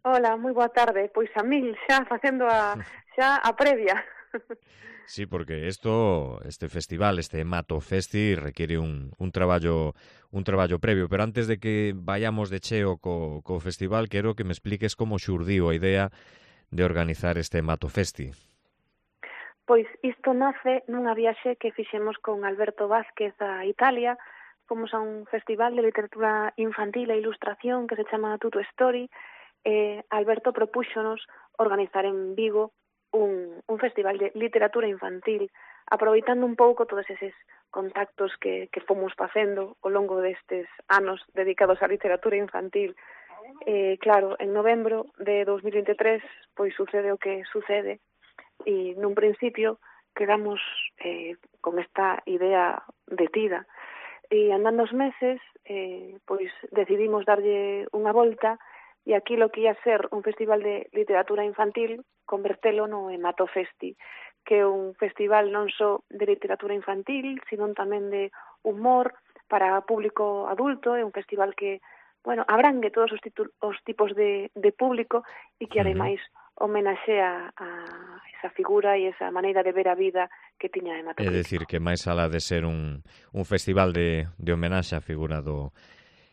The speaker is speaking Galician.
Hola, moi boa tarde. Pois a mil, xa facendo a previa. Sí, porque este festival, este Mato Festi, requiere un traballo previo. Pero antes de que vayamos de cheo co festival, quero que me expliques como xurdiu a idea de organizar este Mato Festi. Pois isto nace nunha viaxe que fixemos con Alberto Vázquez a Italia. Fomos a un festival de literatura infantil e ilustración que se chama Tuto Story. Alberto propúxonos organizar en Vigo un festival de literatura infantil, aproveitando un pouco todos eses contactos que fomos facendo ao longo destes anos dedicados á literatura infantil. Claro, en novembro de 2023, pois sucede o que sucede, e nun principio quedamos con esta idea detida. E andando os meses, pois decidimos darlle unha volta e aquilo que ia ser un festival de literatura infantil convertelo no Mato Festi, que é un festival non só de literatura infantil, sino tamén de humor para público adulto. É un festival que, bueno, abrangue todos os tipos de público e que ademais homenaxea a esa figura e esa maneira de ver a vida que tiña Mato É Crítico. dicir, que máis alá de ser un festival de homenaxe á figura